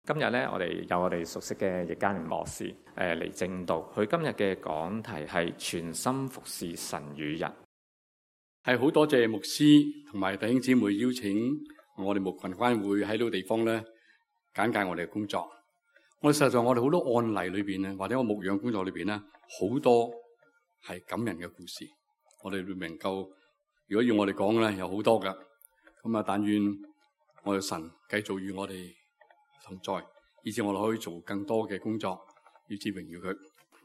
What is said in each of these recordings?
今日咧，我哋有我哋熟悉嘅易嘉年牧師嚟證道。佢今日嘅講題係全心服侍神與人。係好多謝牧師同埋弟兄姊妹邀請我哋牧群關會喺呢個地方咧簡介我哋嘅工作。我哋實際上我哋好多案例裏邊咧，或者我牧養工作裏邊咧，好多係感人嘅故事。我哋會能夠，如果要我哋講咧，有好多噶。咁啊，但願我哋神繼續與我哋同在，以致我哋可以做更多嘅工作，以致榮耀佢。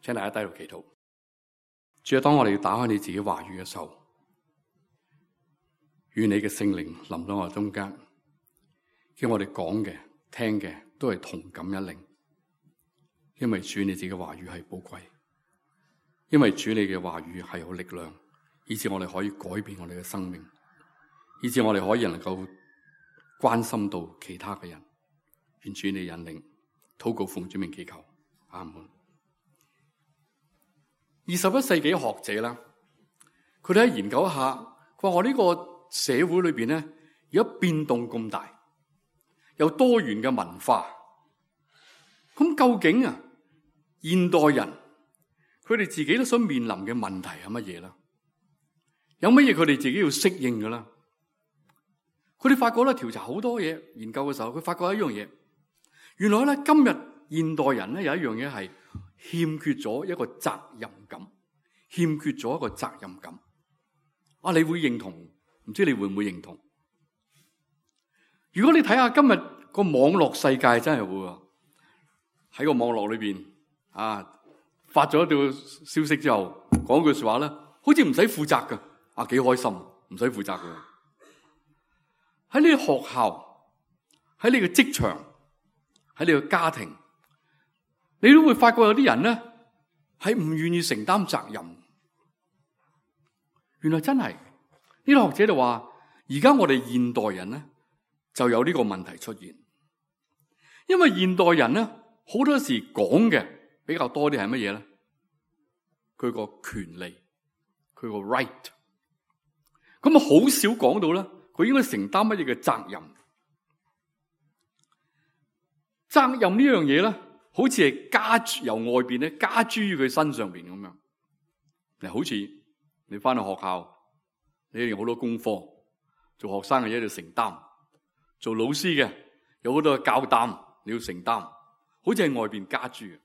請大家低頭祈禱。主啊，當我哋打開你自己話語嘅時候，願你嘅聖靈臨到我哋中間，叫我哋講嘅、聽嘅都係同感一靈。因為主你自己嘅話語係寶貴，因為主你嘅話語係有力量，以致我哋可以改變我哋嘅生命，以致我哋可以能夠關心到其他嘅人。願主你引領，禱告奉主名祈求，阿門。21世紀學者啦，佢哋喺研究一下，佢話我呢個社會裏邊咧，而家變動咁大，有多元嘅文化，咁究竟啊，現代人佢哋自己都想面臨嘅問題係乜嘢啦？有乜嘢佢哋自己要適應噶啦？佢哋發覺咧，調查好多嘢，研究嘅時候，佢發覺一樣嘢。原來咧，今日現代人咧有一樣嘢係欠缺咗一個責任感，欠缺咗一個責任感。啊，你會認同？唔知你會唔會認同？如果你睇下今日個網絡世界，真係會喺個網絡裏邊啊，發咗一條消息之後，講句說話咧，好似唔使負責噶，啊幾開心，唔使負責噶。喺你個學校，喺你個職場，喺你個家庭，你都會發覺有啲人咧係唔願意承擔責任。原來真係呢啲學者就話，而家我哋現代人咧就有呢個問題出現，因為現代人咧好多時講嘅比較多啲係乜嘢咧？佢個權利，佢個 right， 咁啊好少講到咧，佢應該承擔乜嘢嘅責任。責任呢樣嘢咧，好似係加諸由外邊咧加諸於佢身上邊咁樣。嗱，好似你翻去學校，你有好多功課，做學生嘅嘢要承擔，做老師嘅有好多嘅教擔你要承擔，好似係外邊加諸嘅。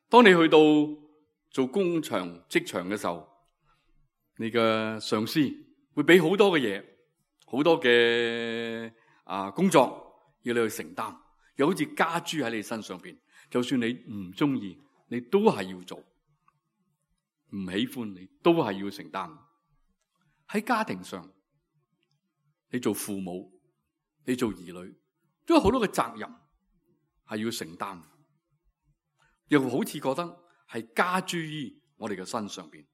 當你去到做工場職場嘅時候，你嘅上司會俾好多嘅嘢，好多嘅工作要你去承擔。又好似加諸喺你身上邊，就算你唔中意，你都係要做；唔喜歡，你都係要承擔。喺家庭上，你做父母，你做兒女，都有好多嘅責任係要承擔，又好似覺得係加諸於我哋嘅身上邊。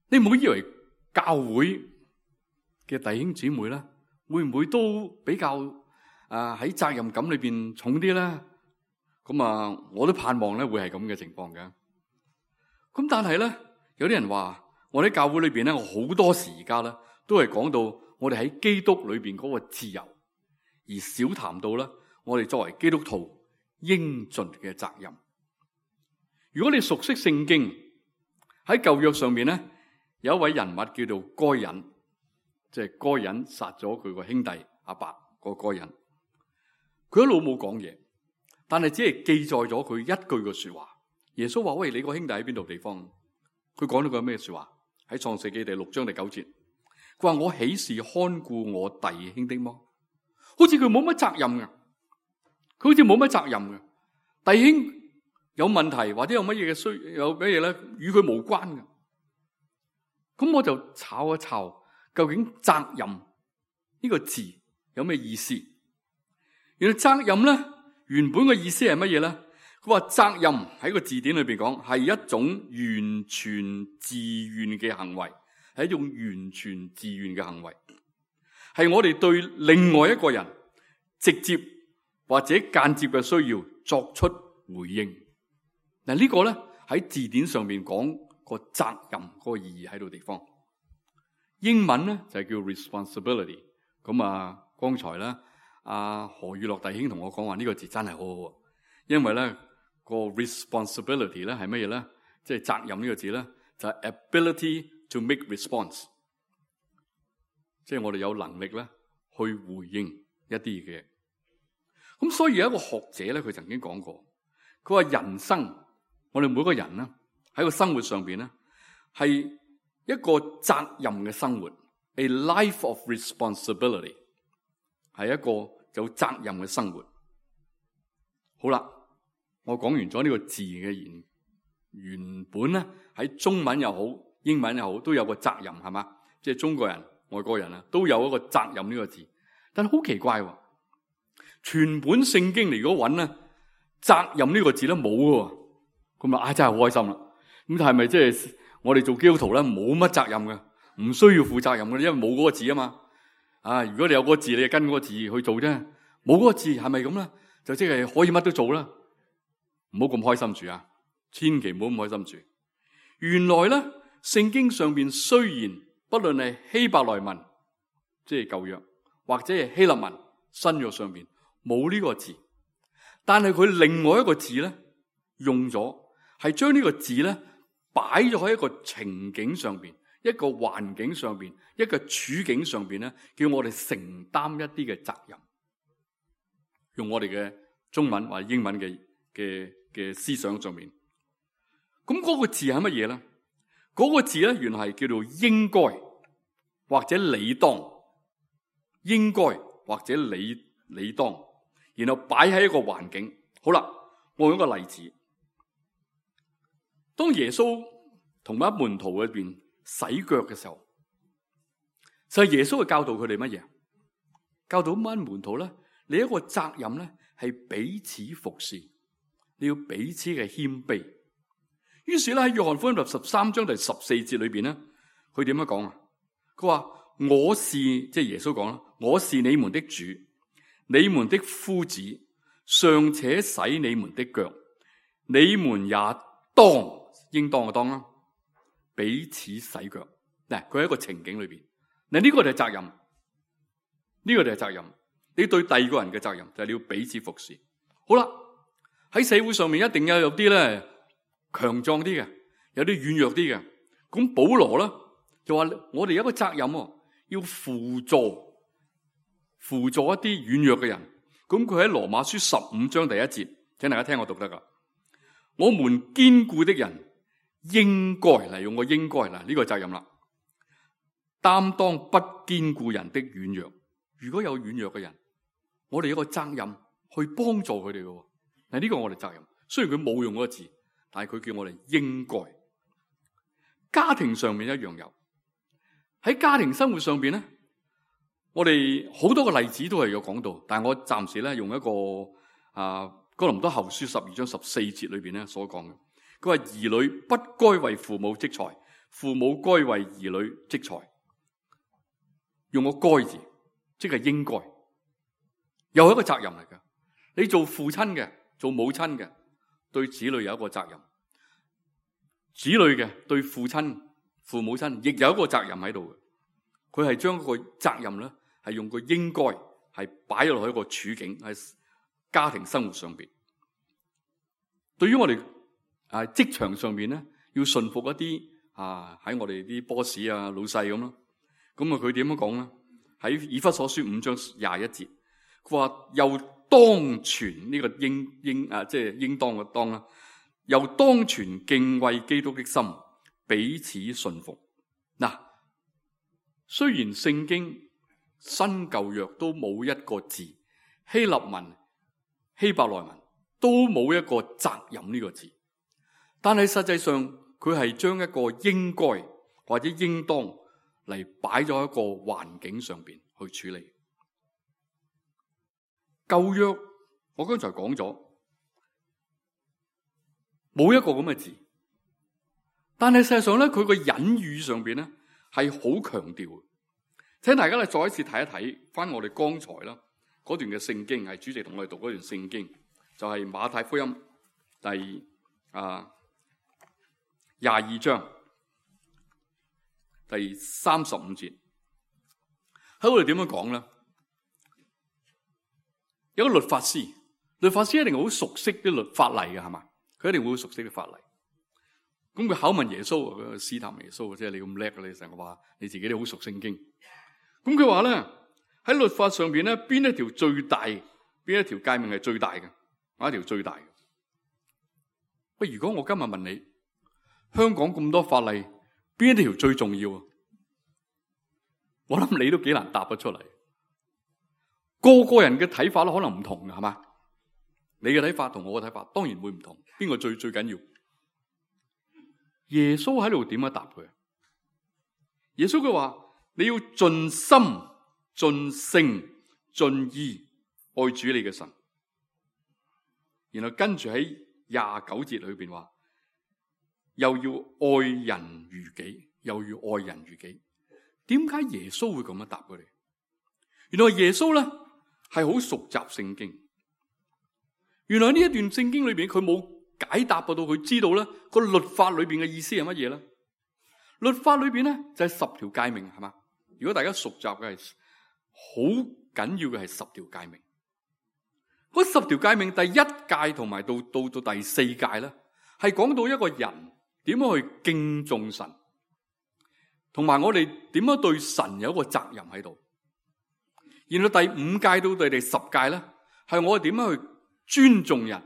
你唔好以為教會嘅弟兄姊妹咧，會唔會都比較喺責任感裏邊重啲咧？咁啊，我都盼望咧會係咁嘅情況嘅。咁但係咧，有啲人話我喺教會裏邊咧，我好多時而家咧都係講到我哋喺基督裏邊嗰個自由，而少談到咧我哋作為基督徒應盡嘅責任。如果你熟悉聖經，喺舊約上面咧有一位人物叫做該隱，即係該隱殺咗佢個兄弟阿伯個該隱。佢一路冇講嘢，但係只係記載咗佢一句嘅說話。耶穌話：喂，你個兄弟喺邊度地方？佢講咗句咩說話？喺創世記第6章第9節，佢話：我豈是看顧我弟兄的麼？好似佢冇乜責任嘅，佢好似冇乜責任嘅。弟兄有問題或者有乜嘢嘅需有乜嘢咧，與佢無關嘅。咁我就炒一炒，究竟責任呢個字有咩意思？原來責任咧，原本嘅意思係乜嘢咧？佢話責任喺個字典裏邊講係一種完全自願嘅行為，係一種完全自願嘅行為，係我哋對另外一個人直接或者間接嘅需要作出回應。嗱，呢個咧喺字典上面講個責任嗰個意義喺度地方。英文咧就係叫 responsibility。咁啊，剛才咧。何宇樂弟兄同我講話呢個字真係好好，因為咧個 responsibility 咧係乜嘢咧？即係責任呢個字咧就係 ability to make response， 即係我哋有能力咧去回應一啲嘅。咁所以有一個學者咧，佢曾經講過，佢話人生我哋每個人咧喺個生活上邊咧係一個責任嘅生活 ，a life of responsibility， 係一個有責任嘅生活。好啦，我講完咗呢個字嘅原本咧喺中文又好，英文又好，都有個責任係嘛？即係中國人、外國人啊，都有一個責任呢個字。但係好奇怪喎，全本聖經嚟如果揾咧，責任呢個字咧冇嘅，咁啊真係好開心啦。咁係咪即係我哋做基督徒咧冇乜責任嘅，唔需要負責任嘅，因為冇嗰個字啊嘛。如果你有嗰個字，你就跟嗰個字去做啫。冇嗰個字係咪咁咧？就即係可以乜都做啦。唔好咁開心住啊！千祈唔好咁開心住。原來咧，聖經上邊雖然不論係希伯來文，即係舊約，或者係希臘文新約上邊冇呢個字，但係佢另外一個字咧用咗，係將呢個字咧擺咗喺一個情景上邊、一個環境上邊、一個處境上邊咧，叫我哋承擔一啲嘅責任。用我哋嘅中文或者英文嘅思想上面，咁嗰個字係乜嘢咧？嗰個字咧原來係叫做應該或者理當，應該或者理當，然後擺喺一個環境。好啦，我用一個例子，當耶穌同埋門徒裏邊洗腳嘅時候，就係耶穌嘅教導佢哋乜嘢？教導班門徒咧，你一個責任咧係彼此服侍，你要彼此嘅謙卑。於是咧喺約翰福音13章第14節裏邊咧，佢點樣講啊？佢話我是，即係耶穌講啦，我是你們的主，你們的夫子，尚且洗你們的腳，你們也當，應當嘅當啦，彼此洗腳。嗱，佢喺一個情景裏邊，嗱呢個就係責任，呢個就係責任。你對第二個人嘅責任就係你要彼此服侍。好啦，喺社會上面一定有啲咧強壯啲嘅，有啲軟弱啲嘅。咁保羅咧就話我哋有一個責任，要輔助一啲軟弱嘅人。咁佢喺羅馬書15章第1節，請大家聽我讀得噶。我們堅固的人應該嚟，用個應該嗱，呢個責任啦，擔當不堅固人的軟弱。如果有軟弱嘅人，我哋有個責任去幫助佢哋嘅。嗱，呢個我哋責任。雖然佢冇用嗰個字，但係佢叫我哋應該。家庭上面一樣有，喺家庭生活上邊咧，我哋好多個例子都係有講到，但係我暫時咧用一個哥林多後書12章14節裏邊咧所講嘅。佢話兒女不該為父母積財，父母該為兒女積財。用個該字，即係應該，又係一個責任嚟㗎。你做父親嘅，做母親嘅，對子女有一個責任；子女嘅對父親、父母親亦有一個責任喺度嘅。佢係將個責任咧，係用個應該係擺咗落去一個處境喺家庭生活上邊。對於我哋職場上邊咧，要順服一啲喺我哋啲 boss 老細咁咯。咁佢點樣講咧？喺以弗所書5章21節，佢話又當存呢個即係應當嘅當啦，又當存敬畏基督的心，彼此順服。嗱，雖然聖經新舊約都冇一個字，希臘文、希伯來文都冇一個責任呢個字，但係實際上佢係將一個應該或者應當嚟擺咗一個環境上邊去處理。舊約我剛才講咗冇一個咁嘅字，但係事實上咧，佢個隱喻上邊咧係好強調。請大家咧再一次睇一睇翻我哋剛才啦嗰段嘅聖經，係主席同我哋讀嗰段聖經，就係馬太福音第22章第35節。喺我哋點樣講咧？有個律法師，律法師一定好熟悉啲律法例嘅，係嘛？佢一定會好熟悉啲法例。咁佢考問耶穌，佢試探耶穌，即係你咁叻嘅，你成日話你自己都好熟聖經。咁佢話咧，喺律法上邊咧，邊一條最大？邊一條誡命係最大嘅？哪一條最大嘅？不，如果我今日問你，香港咁多法例，邊一條最重要啊？我諗你都幾難答得出嚟。個個人嘅睇法都可能唔同嘅，係嘛？你嘅睇法同我嘅睇法當然會唔同。邊個最緊要？耶穌喺度點樣答佢？耶穌佢話：你要盡心、盡性、盡意愛主你嘅神。然後跟住喺29節裏邊話，又要愛人如己，又要愛人如己。點解耶穌會咁樣答佢哋？原來耶穌咧係好熟習聖經。原來呢一段聖經裏邊佢冇解答到佢知道咧個律法裏邊嘅意思係乜嘢咧？律法裏邊咧就係10條誡命，係嘛？如果大家熟習嘅係好緊要嘅係10條誡命。嗰10條誡命第1誡同埋到第4誡咧，係講到一個人點樣去敬重神，同埋我哋點樣對神有一個責任喺度。然後第5誡到第10誡咧，係我哋點樣去尊重人，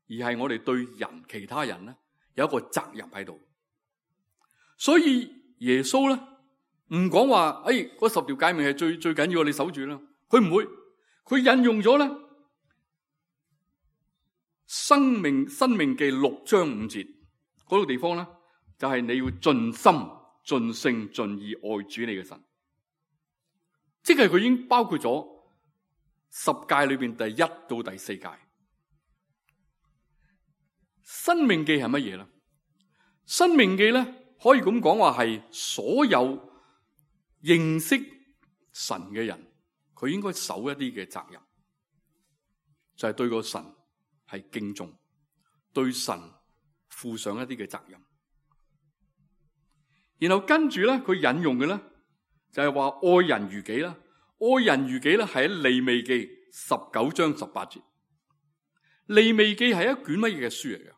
而係我哋對人其他人咧有一個責任喺度。所以耶穌咧唔講話，嗰10條誡命係最緊要，你守住啦。佢唔會，佢引用咗咧申命記6章5節嗰個地方咧，就係你要盡心、盡性、盡意愛主你嘅神。即係佢已經包括咗10誡裏邊第1到第4誡。申命記係乜嘢咧？申命記咧可以咁講話係所有認識神嘅人，佢應該守一啲嘅責任，就係對個神係敬重，對神負上一啲嘅責任。然後跟住咧，佢引用嘅咧就係話愛人如己啦。愛人如己咧係喺利未記19章18節。利未記係一卷乜嘢嘅書嚟嘅？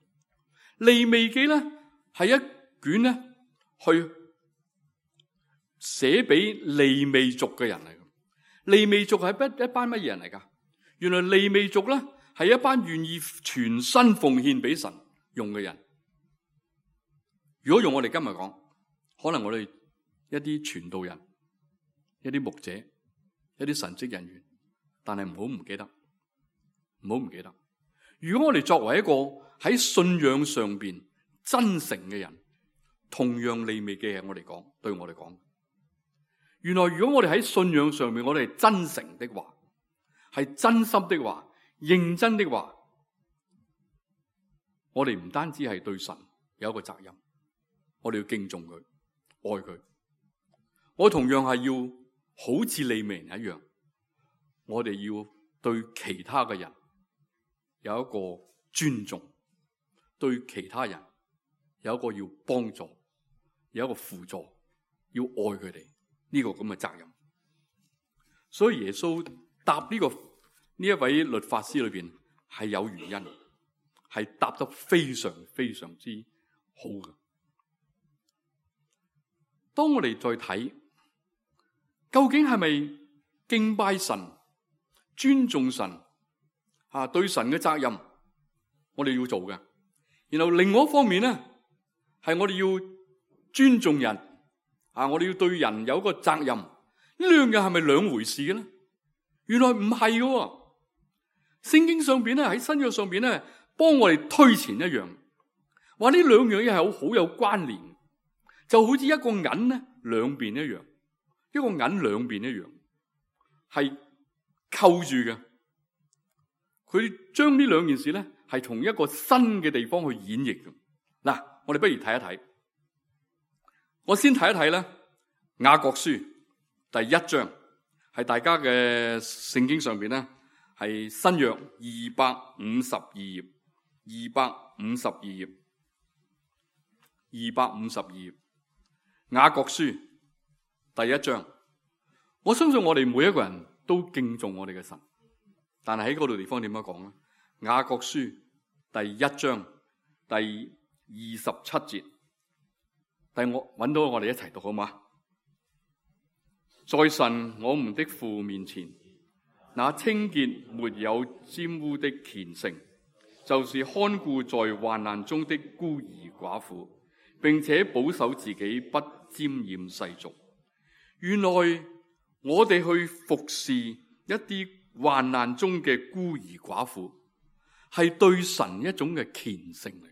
利未記咧係一卷咧去寫俾利未族嘅人嚟嘅。利未族係一班乜嘢人嚟噶？原來利未族咧係一班願意全身奉獻俾神用嘅人。如果用我哋今日講，可能我哋一啲傳道人、一啲牧者、一啲神職人員，但係唔好唔記得，唔好唔記得。如果我哋作為一個喺信仰上邊真誠嘅人，同樣利未記係我哋講，對我哋講。原來如果我哋喺信仰上面，我哋係真誠的話，係真心的話，認真的話，我哋唔單止係對神有一個責任，我哋要敬重佢，愛佢。我同樣係要好似利未人一樣，我哋要對其他嘅人有一個尊重，對其他人有一個要幫助，有一個輔助，要愛佢哋呢個咁嘅責任。所以耶穌答呢一位律法師裏邊係有原因，係答得非常非常之好嘅。當我哋再睇，究竟係咪敬拜神、尊重神對神嘅責任，我哋要做嘅。然後另外一方面咧，係我哋要尊重人我哋要對人有一個責任。呢兩樣係咪兩回事嘅咧？原來唔係嘅。聖經上邊咧，喺新約上邊咧，幫我哋推前一樣，話呢兩樣嘢係好有關聯，就好似一個銀咧兩邊一樣，一個銀兩邊一樣，係扣住嘅。佢將呢兩件事咧係從一個新嘅地方去演繹嘅。嗱，我哋不如睇一睇。我先睇一睇咧，雅各書第1章，係大家嘅聖經上邊咧係新約252頁，252頁，252頁，雅各書第1章。我相信我哋每一個人都敬重我哋嘅神。但係喺嗰度地方點樣講咧？雅各書第1章第27節，我揾到，我哋一齊讀好嗎？在神我們的父面前，那清潔沒有沾污的虔誠，就是看顧在患難中的孤兒寡婦，並且保守自己不沾染世俗。原來我哋去服侍一啲患難中嘅孤兒寡婦，係對神一種嘅虔誠嚟，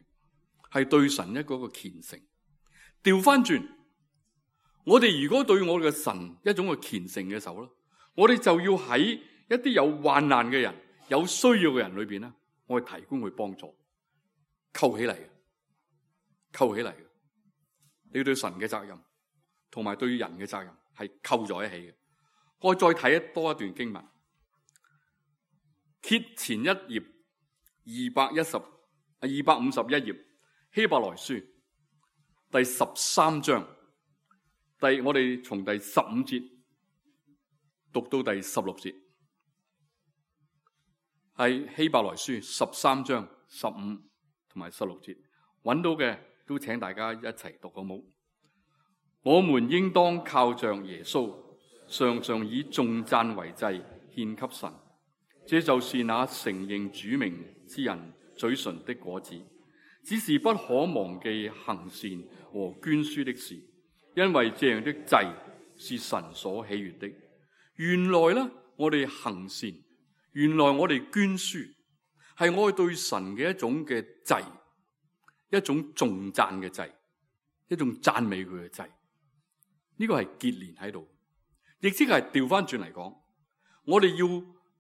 係對神一個虔誠。調翻轉，我哋如果對我哋嘅神一種嘅虔誠嘅時候咧，我哋就要喺一啲有患難嘅人、有需要嘅人裏邊咧，我哋提供去幫助，扣起嚟嘅，扣起嚟嘅。你要對神嘅責任同埋對人嘅責任係扣在一起嘅。我再睇多一段經文，揭前一頁251頁，希伯來書第13章，我哋從第15節讀到第16節，係希伯來書13章15同埋16節，揾到嘅都請大家一齊讀好冇？我們應當靠着耶穌，常常以頌讚為祭獻給神，這就是那承認主名之人嘴唇的果子。只是不可忘記行善和捐輸的事，因為這樣的祭是神所喜悅的。原來呢，我哋行善，原來我哋捐輸，係我哋對神嘅一種嘅祭，一種頌讚嘅祭，一種讚美佢嘅祭。呢個係結連喺度，亦即係調翻轉嚟講，我哋要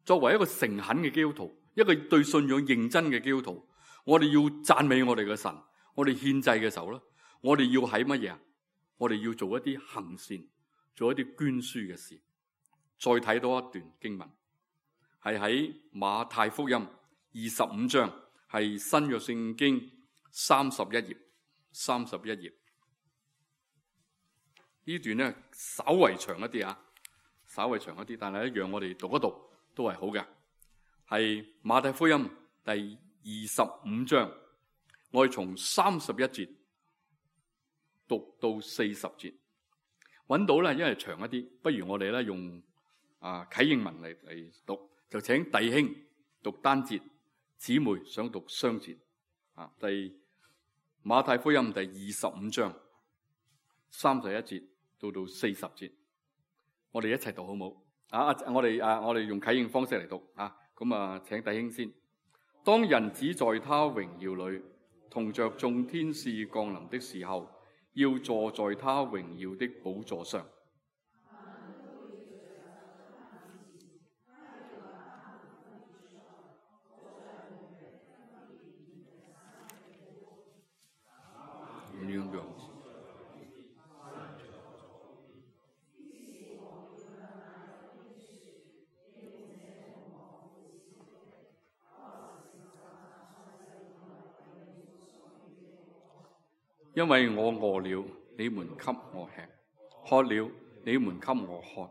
作為一個誠懇嘅基督徒，一個對信仰認真嘅基督徒，我哋要讚美我哋嘅神。我哋獻祭嘅時候咧，我哋要喺乜嘢啊？我哋要做一啲行善，做一啲捐輸嘅事。再睇多一段經文，係喺馬太福音25章，係新約聖經31頁。呢段咧稍為長一啲啊，稍為長一啲，但係一樣我哋讀一讀都係好嘅。係馬太福音第25章，我哋從31節讀到40節，揾到咧，因為長一啲，不如我哋咧用啟應文嚟讀，就請弟兄讀單節，姊妹想讀雙節。馬太福音第25章31節到40節，我哋一齊讀好冇？我哋用啟應方式嚟讀啊！咁請弟兄先。當人子在他榮耀裏同着眾天使降臨的時候，要坐在他榮耀的寶座上。因為我餓了，你們給我吃；渴了，你們給我喝；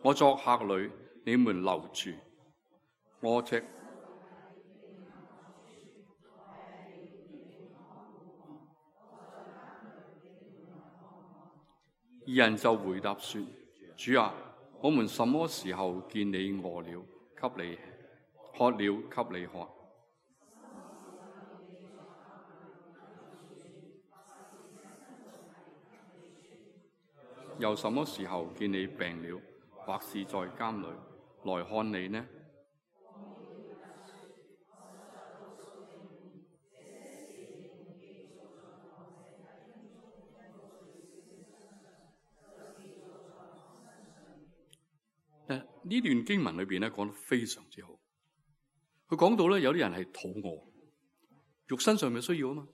我作客旅，你們留住我。二人就回答說：主啊，我們什麼時候見你餓了，給你吃；渴了，給你喝？又什麼時候見你病了，或是在監裏，來看你呢？呢段經文裏邊咧講得非常之好。佢講到咧，有啲人係肚餓，肉身上面需要啊嘛，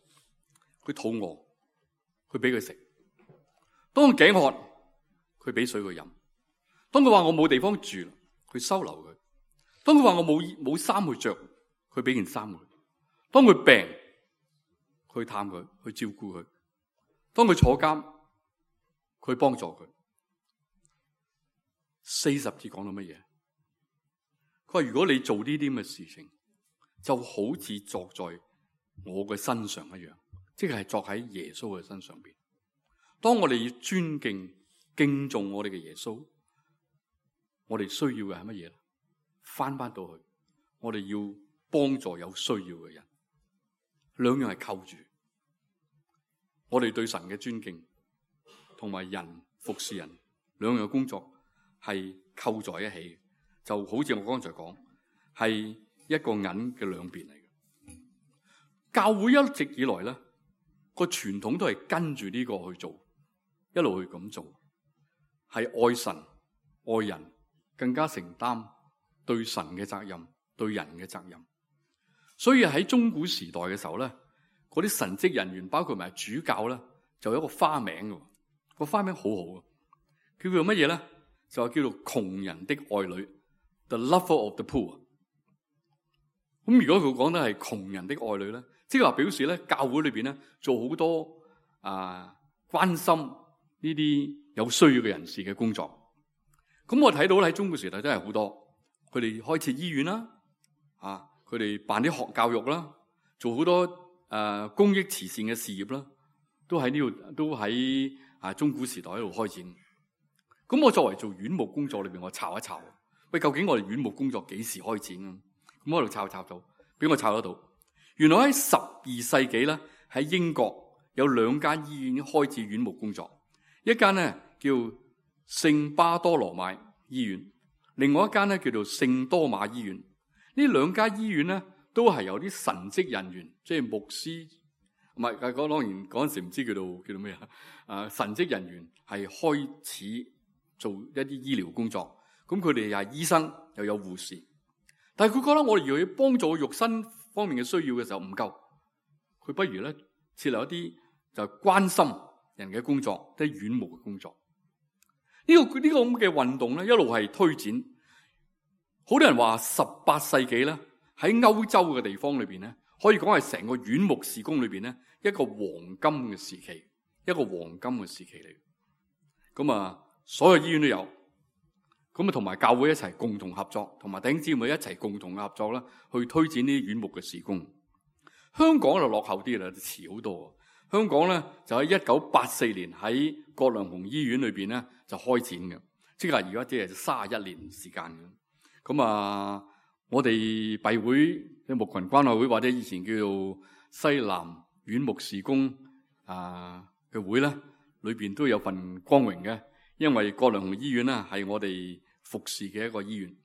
佢肚餓，佢俾佢食。當佢頸渴，佢俾水佢飲。當佢話我冇地方住，佢收留佢。當佢話我冇衫去着，佢俾件衫佢。當佢病，佢探佢，去照顧佢。當佢坐監，佢幫助佢。40節講到乜嘢？佢話如果你做呢啲咁嘅事情，就好似作在我嘅身上一樣，即係作喺耶穌嘅身上邊。當我哋要尊敬敬重我哋嘅耶穌，我哋需要嘅係乜嘢咧？翻到去，我哋要幫助有需要嘅人，兩樣係扣住。我哋對神嘅尊敬同埋人服侍人兩樣嘅工作係扣在一起，就好似我剛才講，係一個銀嘅兩邊嚟嘅。教會一直以來咧，個傳統都係跟住呢個去做，一路去咁做，係愛神愛人，更加承擔對神嘅責任，對人嘅責任。所以喺中古時代嘅時候咧，嗰啲神職人員包括埋主教咧，就有一個花名嘅，個花名好好啊，叫做乜嘢咧？就係叫做窮人的愛女 ，The Lover of the Poor。咁如果佢講得係窮人的愛女咧，即係話表示咧，教會裏邊咧做好多關心呢啲有需要嘅人士嘅工作。咁我睇到喺中古時代真係好多，佢哋開設醫院啦，佢哋辦啲學教育啦，做好多公益慈善嘅事業啦，都喺呢度，都喺中古時代喺度開展。咁我作為做院牧工作裏邊，我查一查，喂，究竟我哋院牧工作幾時開展啊？咁我喺度查到，俾我查得到。原來喺12世紀咧，喺英國有2間醫院開始院牧工作，一間咧叫聖巴多羅買醫院，另外一間咧叫做聖多馬醫院。呢2間醫院咧都係由啲神職人員，即係牧師，唔係當然嗰陣時唔知叫做咩神職人員係開始做一啲醫療工作。咁佢哋又係醫生又有護士，但係佢覺得我哋如果要幫助肉身方面嘅需要嘅時候唔夠，佢不如咧設立一啲就係關心人嘅工作，即係院牧嘅工作。呢個咁嘅運動咧一路係推展。好多人話18世紀咧喺歐洲嘅地方裏邊咧，可以講係成個院牧事工裏邊咧一個黃金嘅時期，一個黃金嘅時期嚟。咁所有醫院都有。咁同埋教會一齊共同合作，同埋弟兄姊妹一齊共同合作啦，去推展呢啲院牧嘅事工。香港就落後啲啦，遲好多。香港咧就喺1984年喺葛量洪醫院裏邊咧就開展嘅，即係而家即係31年時間嘅。咁我哋閉會嘅牧群關愛會或者以前叫做西南院牧事工嘅會咧，裏邊都有份光榮嘅，因為葛量洪醫院咧係我哋服侍嘅一個醫院。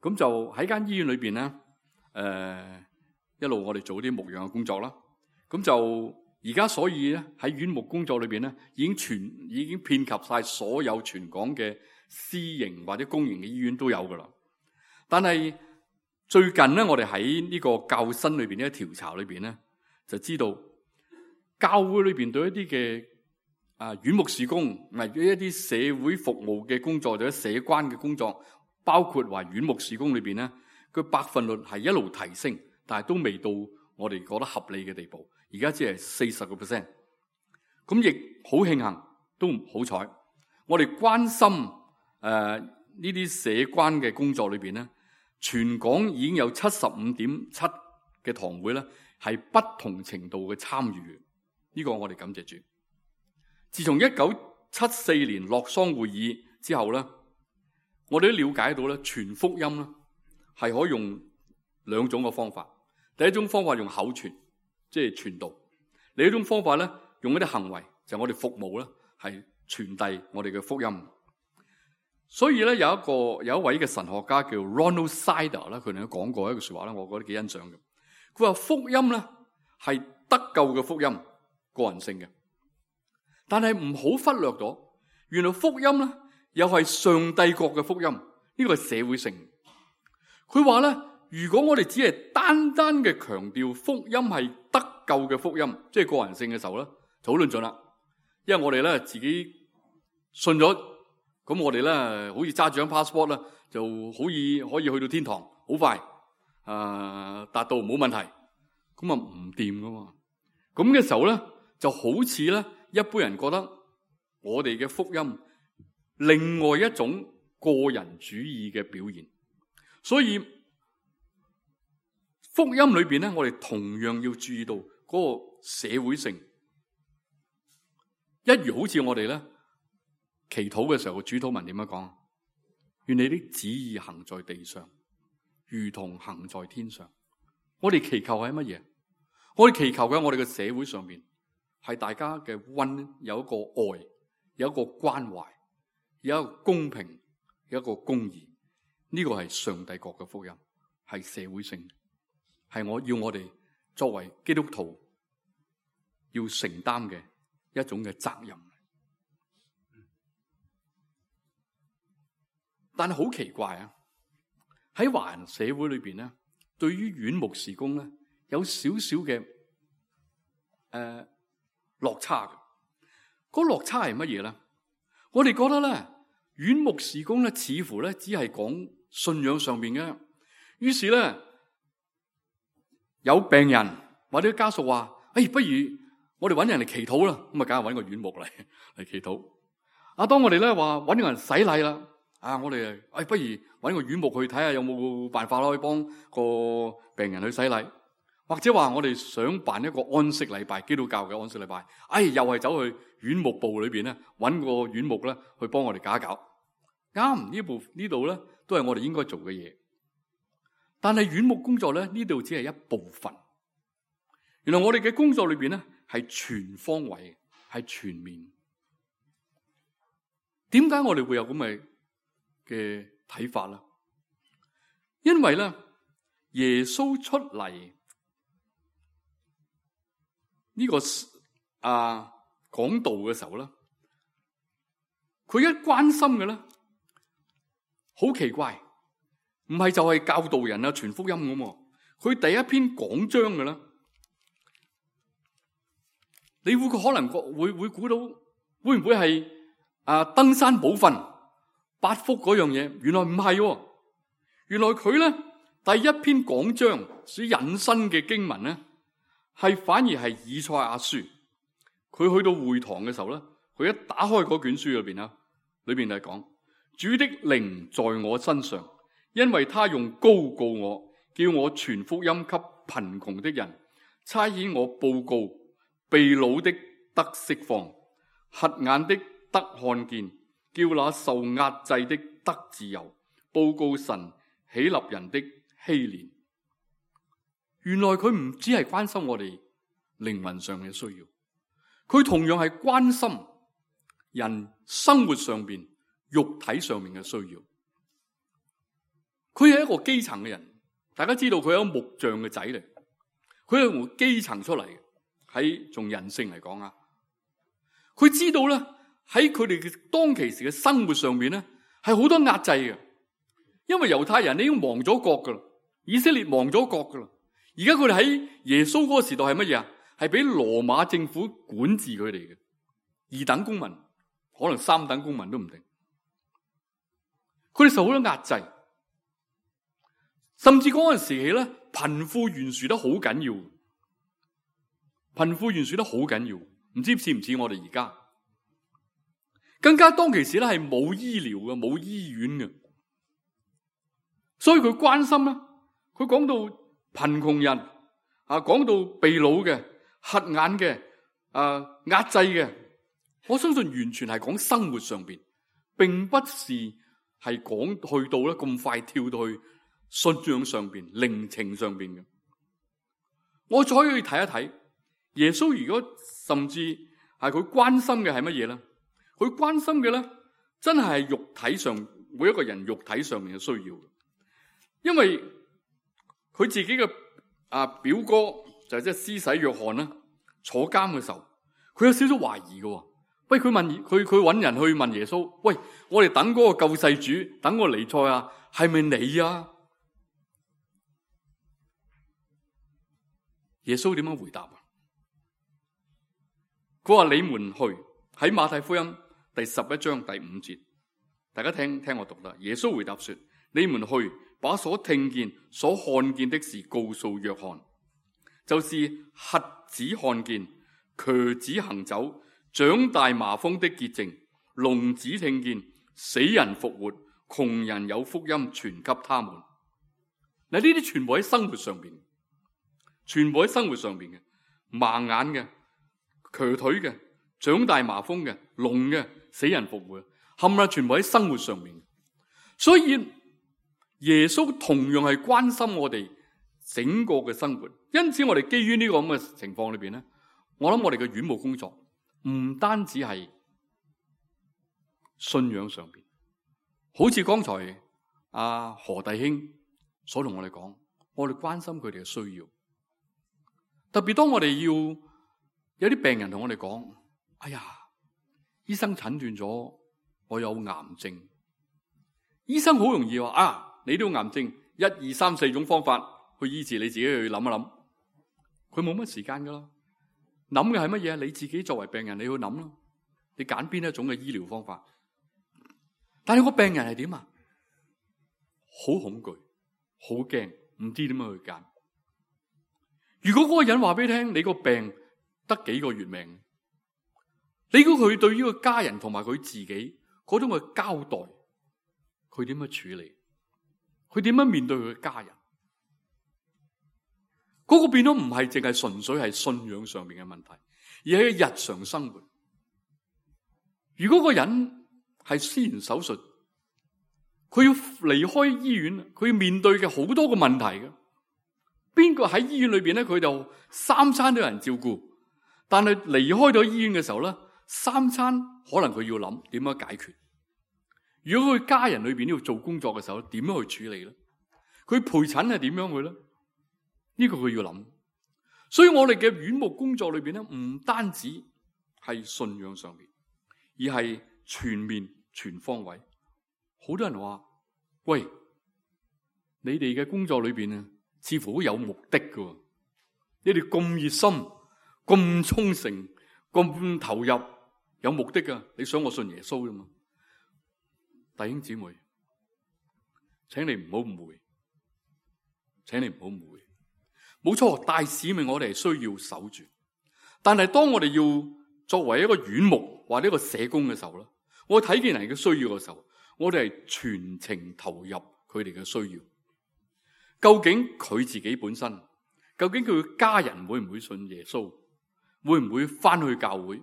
咁就喺間醫院裏邊咧，一路我哋做啲牧養嘅工作啦。咁就而家所以咧喺院牧工作裏邊咧，已經遍及晒所有全港嘅私營或者公營嘅醫院都有噶啦。但係最近咧，我哋喺呢個教新裏邊呢個調查裏邊咧，就知道教會裏邊對一啲嘅院牧事工，唔係一啲社會服務嘅工作或者社關嘅工作，包括話院牧事工裏邊咧，佢百分率係一路提升，但係都未到我哋覺得合理嘅地步。而家只係40%，咁亦好慶幸，都好彩。我哋關心呢啲社關嘅工作裏邊咧，全港已經有75.7嘅堂會咧，係不同程度嘅參與。呢個我哋感謝主。自從1974年洛桑會議之後咧，我哋都了解到咧，傳福音咧係可以用2種嘅方法。第一種方法用口傳，即係傳道；另一種方法咧，用一啲行為，就係我哋服務咧，係傳遞我哋嘅福音。所以咧，有一位嘅神學家叫 Ronald Sider 咧，佢哋都講過一句說話咧，我覺得幾欣賞嘅。佢話福音咧係得救嘅福音，個人性嘅，但係唔好忽略咗，原來福音咧又係上帝國嘅福音，呢個係社會性。佢話咧，如果我哋只係單單嘅強調福音係得救嘅福音，即係個人性嘅時候咧，就好論盡啦。因為我哋咧自己信咗，咁我哋咧好似揸住張 passport 啦，就可以去到天堂，好快達到冇問題。咁唔掂噶嘛。咁嘅時候咧，就好似咧一般人覺得我哋嘅福音另外一種個人主義嘅表現。所以福音裏邊咧，我哋同樣要注意到嗰個社會性，一如好似我哋咧祈禱嘅時候，主禱文點樣講？願你的旨意行在地上，如同行在天上。我哋祈求係乜嘢？我哋祈求嘅，我哋嘅社會上面係大家嘅有一個愛，有一個關懷，有一個公平，有一個公義。呢個係上帝國嘅福音，係社會性，係我哋作為基督徒要承擔嘅一種嘅責任。但係好奇怪啊！喺華人社會裏邊咧，對於院牧事工咧，有少少嘅落差嘅。嗰落差係乜嘢咧？我哋覺得咧，院牧事工咧，似乎咧只係講信仰上邊嘅。於是咧，有病人或者家屬話：不如我哋揾人嚟祈禱啦。咁啊，梗係揾個院牧嚟祈禱。當我哋咧話揾個人洗禮啦。我哋不如揾個院牧去睇下有冇辦法可以幫個病人去洗禮，或者話我哋想辦一個安息禮拜，基督教嘅安息禮拜，又係走去院牧部裏邊咧揾個院牧咧去幫我哋搞一搞。啱，呢度咧都係我哋應該做嘅嘢，但係院牧工作咧呢度只係一部分。原來我哋嘅工作裏邊咧係全方位，係全面。點解我哋會有咁嘅睇法啦？因為咧，耶穌出嚟呢個講道嘅時候咧，佢一關心嘅咧，好奇怪，唔係就係教導人啊、傳福音咁。佢第一篇講章嘅咧，你會可能會估到，會唔會係登山寶訓？八福嗰樣嘢，原來唔係喎。原來佢咧第一篇講章所引申嘅經文咧，反而係以賽亞書。佢去到會堂嘅時候咧，佢一打開嗰卷書裏邊啊，裏邊係講主的靈在我身上，因為他用膏膏我，叫我傳福音給貧窮的人，差遣我報告被擄的得釋放，瞎眼的得看見，叫那受壓制的得自由，報告神喜立人的禧年。原來佢唔只係關心我哋靈魂上嘅需要，佢同樣係關心人生活上邊、肉體上面嘅需要。佢係一個基層嘅人，大家知道佢係一個木匠嘅仔嚟，佢係從基層出嚟嘅，喺從人性嚟講啊，佢知道咧。喺佢哋嘅當其時嘅生活上面咧，係好多壓制嘅，因為猶太人已經亡咗國噶啦，以色列亡咗國噶啦，而家佢哋喺耶穌嗰個時代係乜嘢啊？係俾羅馬政府管治佢哋嘅二等公民，可能三等公民都唔定。佢哋受好多壓制，甚至嗰陣時期咧，貧富懸殊得好緊要，貧富懸殊得好緊要，唔知似唔似我哋而家？更加當其時咧係冇醫療嘅，冇醫院嘅，所以佢關心啦。佢講到貧窮人講到被擄嘅、瞎眼嘅、壓制嘅，我相信完全係講生活上邊，並不是係講去到咧咁快跳到去信仰上邊、靈情上邊嘅。我再可以睇一睇耶穌，如果甚至係佢關心嘅係乜嘢咧？佢關心嘅咧，真係肉體上每一個人肉體上面嘅需要。因為佢自己嘅表哥就即係施洗約翰啦，坐監嘅時候，佢有少少懷疑嘅。喂，佢揾人去問耶穌，喂，我哋等嗰個救世主，等個彌賽亞，係咪你啊？耶穌點樣回答啊？佢話：你們去，喺馬太福音第11章第5節，大家聽我讀啦。耶穌回答說：你們去，把所聽見、所看見的事告訴約翰，就是瞎子看見、瘸子行走、長大麻風的潔淨、聾子聽見、死人復活、窮人有福音傳給他們。嗱，呢啲全部喺生活上邊，全部喺生活上邊嘅，盲眼嘅、瘸腿嘅、長大麻風嘅、聾嘅、死人復活，冚唪唥全部喺生活上面。所以耶穌同樣係關心我哋整個嘅生活。因此我哋基於呢個咁嘅情況裏邊咧，我諗我哋嘅院牧工作唔單止係信仰上邊，好似剛才何弟兄所同我哋講，我哋關心佢哋嘅需要。特別當我哋要有啲病人同我哋講，哎呀，醫生診斷咗我有癌症。醫生好容易話你都有癌症，1、2、3、4種方法去醫治，你自己去諗一諗。佢冇乜時間噶啦，諗嘅係乜嘢？你自己作為病人，你去諗啦，你揀邊一種嘅醫療方法。但係個病人係點啊？好恐懼，好驚，唔知點樣去揀。如果嗰個人話俾你聽，你個病得幾個月命，你估佢對於個家人同埋佢自己嗰種嘅交代，佢點樣處理？佢點樣面對佢嘅家人？嗰個變咗唔係淨係純粹係信仰上面嘅問題，而係日常生活。如果個人係施完手術，佢要離開醫院，佢要面對嘅好多個問題嘅。邊個喺醫院裏邊咧，佢就三餐都有人照顧，但係離開咗醫院嘅時候咧，三餐可能佢要諗點樣解決。如果佢家人裏邊要做工作嘅時候，點樣去處理咧？佢陪診係點樣去咧？呢個佢要諗。所以我哋嘅院牧工作裏邊咧，唔單止係信仰上面，而係全面全方位。好多人話：喂，你哋嘅工作裏邊啊，似乎好有目的㗎。你哋咁熱心、咁忠誠、咁投入，有目的㗎。你想我信耶穌啫嘛？弟兄姊妹，請你唔好誤會，請你唔好誤會。冇錯，大使命我哋係需要守住，但係當我哋要作為一個院牧或者一個社工嘅時候咧，我睇見人嘅需要嘅時候，我哋係全程投入佢哋嘅需要。究竟佢自己本身，究竟佢嘅家人會唔會信耶穌，會唔會翻去教會，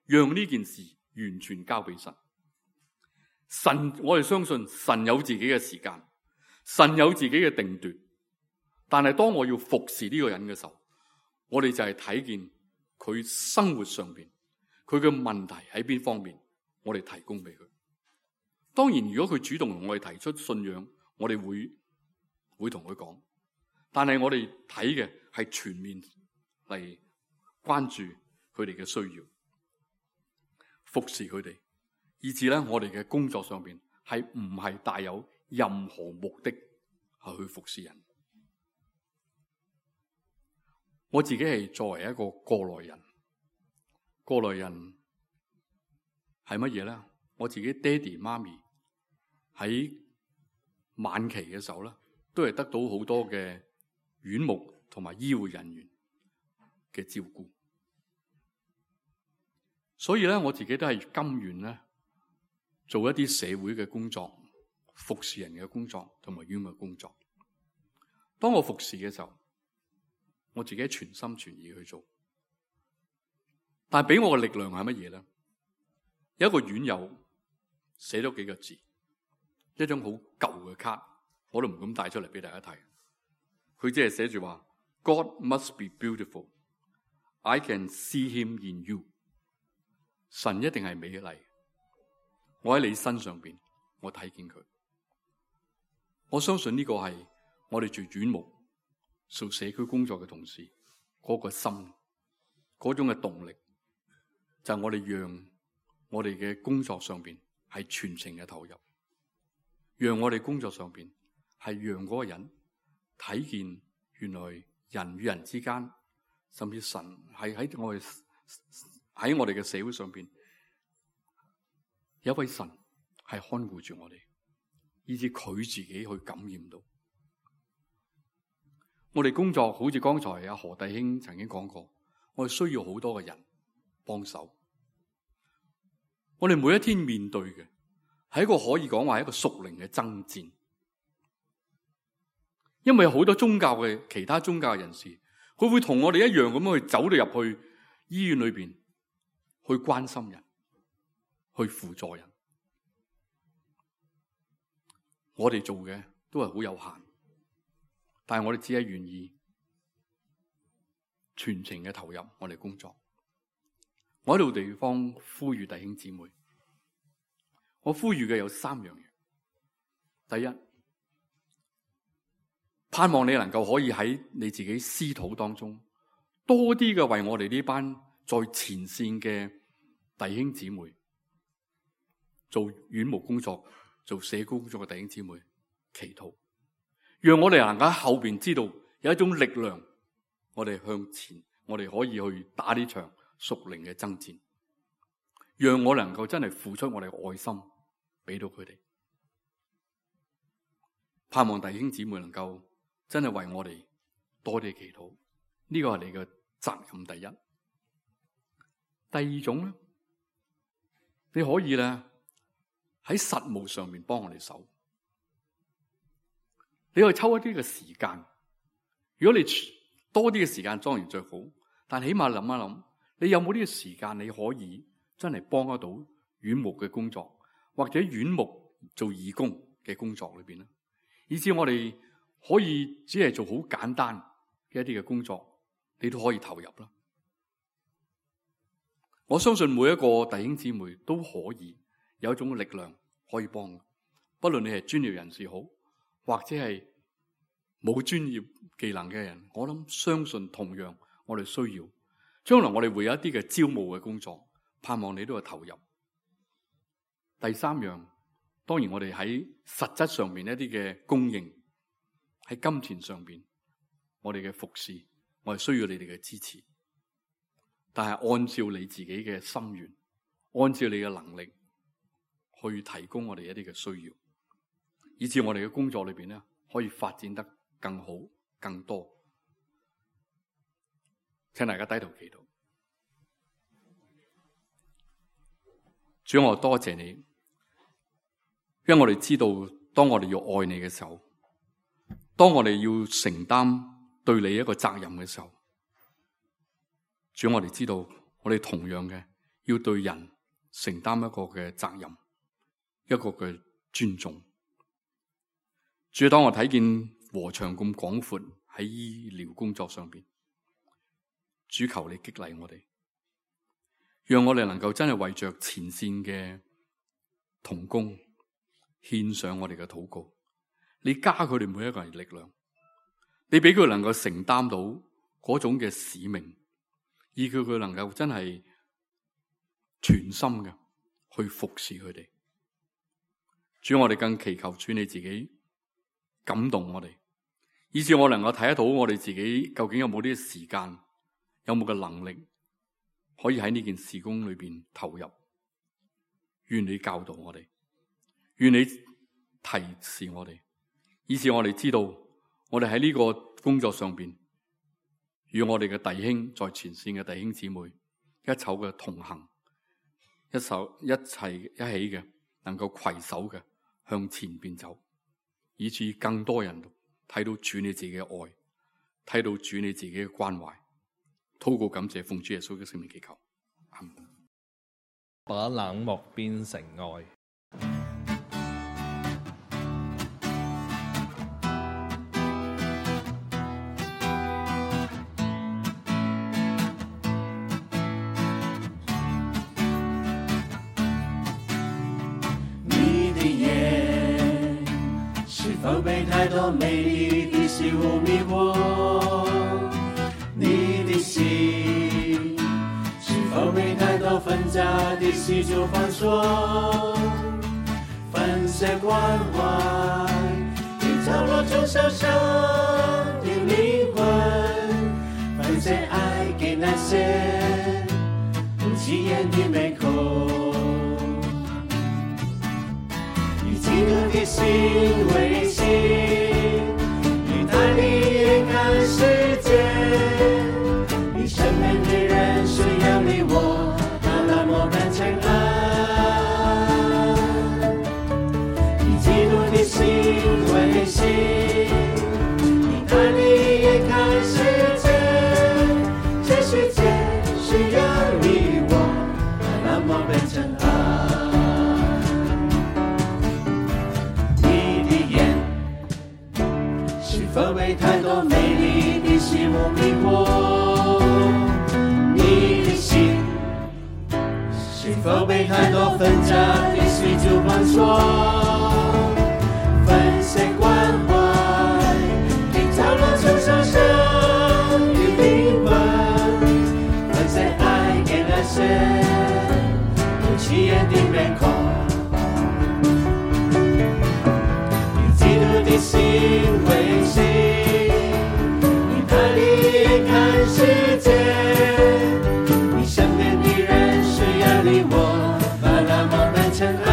讓呢件事完全交俾神。神，我哋相信神有自己嘅時間，神有自己嘅定奪。但係當我要服侍呢個人嘅時候，我哋就係睇見佢生活上邊佢嘅問題喺邊方面，我哋提供俾佢。當然，如果佢主動同我哋提出信仰，我哋會同佢講。但係我哋睇嘅係全面嚟關注佢哋嘅需要，服侍佢哋，以至咧我哋嘅工作上邊係唔係帶有任何目的係去服侍人。我自己係作為一個過來人，過來人係乜嘢咧？我自己爹哋媽咪喺晚期嘅時候咧，都係得到好多嘅院牧同埋醫護人員嘅照顧，所以咧我自己都係甘願咧做一啲社會嘅工作、服侍人嘅工作同埋院牧嘅工作。當我服侍嘅時候，我自己全心全意去做，但係俾我嘅力量係乜嘢咧？有一個院友寫咗幾個字，一張好舊嘅卡，我都唔敢帶出嚟俾大家睇。佢只係寫住話 ：God must be beautiful. I can see him in you. 神一定係美麗，我喺你身上邊，我睇見佢。我相信呢個係我哋做院牧、做社區工作嘅同事嗰個心，嗰種嘅動力，就係我哋讓我哋嘅工作上邊係全程嘅投入，讓我哋工作上邊係讓嗰個人睇見原來人與人之間，甚至神係喺我哋嘅社會上邊，有一位神係看顧住我哋，以至佢自己去感染到。我哋工作好似剛才阿何弟兄曾經講過，我哋需要好多嘅人幫手。我哋每一天面對嘅係一個可以講話係一個屬靈嘅爭戰。因為有好多其他宗教嘅人士，佢會同我哋一樣咁樣去走到入去醫院裏邊，去關心人，去輔助人。我哋做嘅都係好有限，但係我哋只係願意全程嘅投入我哋工作。我喺度地方呼籲弟兄姊妹，我呼籲嘅有3樣嘢。第一，盼望你能夠可以喺你自己私禱當中多啲嘅為我哋呢班在前線嘅弟兄姊妹做院牧工作、做社工工作嘅弟兄姊妹祈禱，讓我哋能夠喺後邊知道有一種力量，我哋向前，我哋可以去打呢場屬靈嘅爭戰，讓我能夠真係付出我哋嘅愛心俾到佢哋。盼望弟兄姊妹能夠真係為我哋多啲祈禱，呢個係你嘅責任。第一。第二種咧，你可以咧喺實務上面幫我哋手，你可以抽一啲嘅時間。如果你多啲嘅時間當然最好，但起碼諗一諗，你有冇呢個時間你可以真係幫得到院牧嘅工作，或者院牧做義工嘅工作裏邊咧，以至我哋可以只係做好簡單嘅一啲嘅工作，你都可以投入啦。我相信每一個弟兄姊妹都可以有一種力量可以幫，不論你係專業人士好，或者係冇專業技能嘅人，我諗相信同樣我哋需要。將來我哋會有一啲嘅招募嘅工作，盼望你都係投入。第3樣，當然我哋喺實質上面一啲嘅供應，喺金錢上邊，我哋嘅服侍，我哋需要你哋嘅支持。但係按照你自己嘅心願，按照你嘅能力去提供我哋一啲嘅需要，以至我哋嘅工作裏邊咧可以發展得更好、更多。請大家低頭祈禱。主，我多謝你，因為我哋知道，當我哋要愛你嘅時候，當我哋要承擔對你一個責任嘅時候，主，我哋知道，我哋同樣嘅要對人承擔一個嘅責任，一個嘅尊重。主，當我睇見禾場咁廣闊喺醫療工作上邊，主，求你激勵我哋，讓我哋能夠真係為着前線嘅同工獻上我哋嘅禱告。你加佢哋每一個人力量，你俾佢能夠承擔到嗰種嘅使命，以叫佢能夠真係全心嘅去服侍佢哋。主，我哋更祈求主你自己感動我哋，以致我能夠睇得到我哋自己究竟有冇啲時間，有冇嘅能力可以喺呢件事工裏邊投入。願你教導我哋，願你提示我哋，以致我哋知道我哋喺呢個工作上邊，與我哋嘅弟兄在前線嘅弟兄姊妹一齊嘅同行，一齊一起嘅能夠攜手嘅向前邊走，以致更多人睇到主你自己嘅愛，睇到主你自己嘅關懷。禱告感謝，奉主耶穌嘅聖名祈求，阿們。把冷漠變成愛。你的眼是否被太多美麗的事物迷惑？你的心是否被太多紛雜的事就反鎖？粉色關懷一角落中小小的靈魂，分享愛給那些不起眼的美口，以基督的心為心，以他的眼看世界。身邊的人需要你我，把冷漠變成愛，以基督的心為心，大利也看世界，这世界需要你我，那么变成爱。你的眼是否被太多美丽的事物迷惑？你的心是否被太多纷杂的事就绑锁？粉碎关怀的角落承受生的灵魂，粉碎爱给那些不起眼的面孔。以基督的心为心，以大力看世界，你身边的人需要你我，把那么变成爱。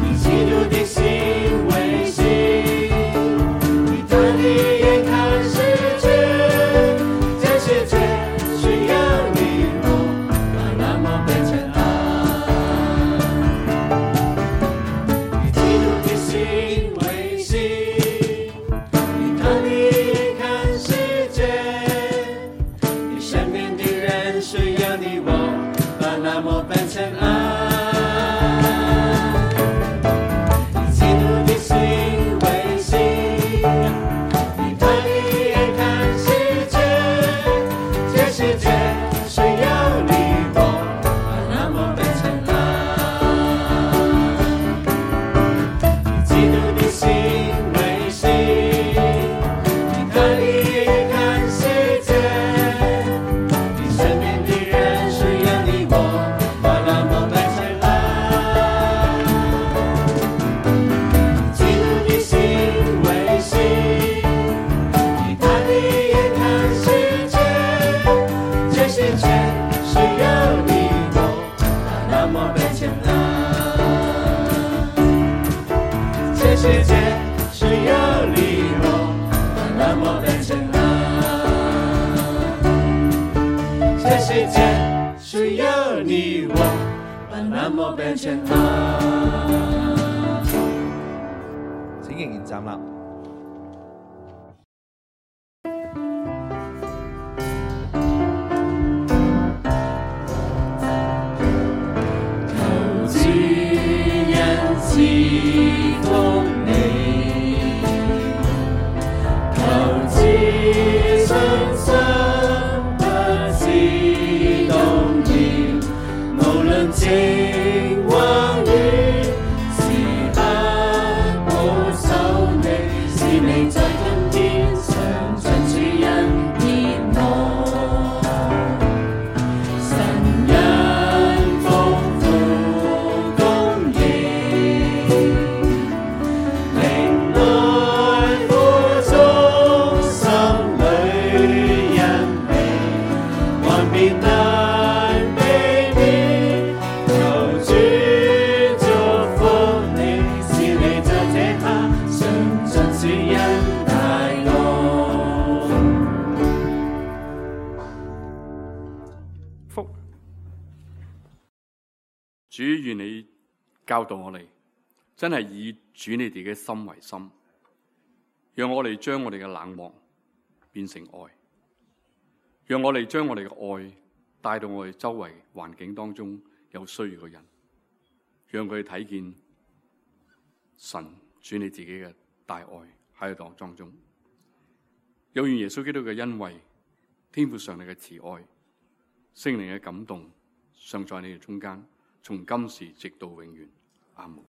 以基督的心为心，以大力也看世界，这世界需要你我，把那么变成爱。以基督的心为心，以大力也看世界，你身边的人需要你我，把那么变成爱。以基督的心为心，以大力也看世界，这世界需要你我，把那么变成爱。以基督的心为心，以大力也看世界，你身边的人需要你我，把那么变成爱。以基督的心为心，以大力也看世界，这世界需要你我，把那么变成爱。这世界需要你我，把那么变成爱。这世界需要你我，把那么變成愛。請仍然站立。求主恩賜福你，求主信心不致動搖，無論晴或雨，時刻保守你，使你在今天常盡主恩典我。神恩豐富供應，靈內苦衷，心裏欣喜，還變難避免。求主祝福你，使你在這刻常盡主恩大愛。福主願你教導我哋，真係以主你哋嘅心為心，讓我哋將我哋嘅冷漠變成愛，讓我哋將我哋嘅愛帶到我哋周圍環境當中有需要嘅人，讓佢哋睇見神主你自己嘅大愛喺度當中。有願耶穌基督嘅恩惠、天父上帝嘅慈愛、聖靈嘅感動，常在你哋中間，從今時直到永遠。阿門。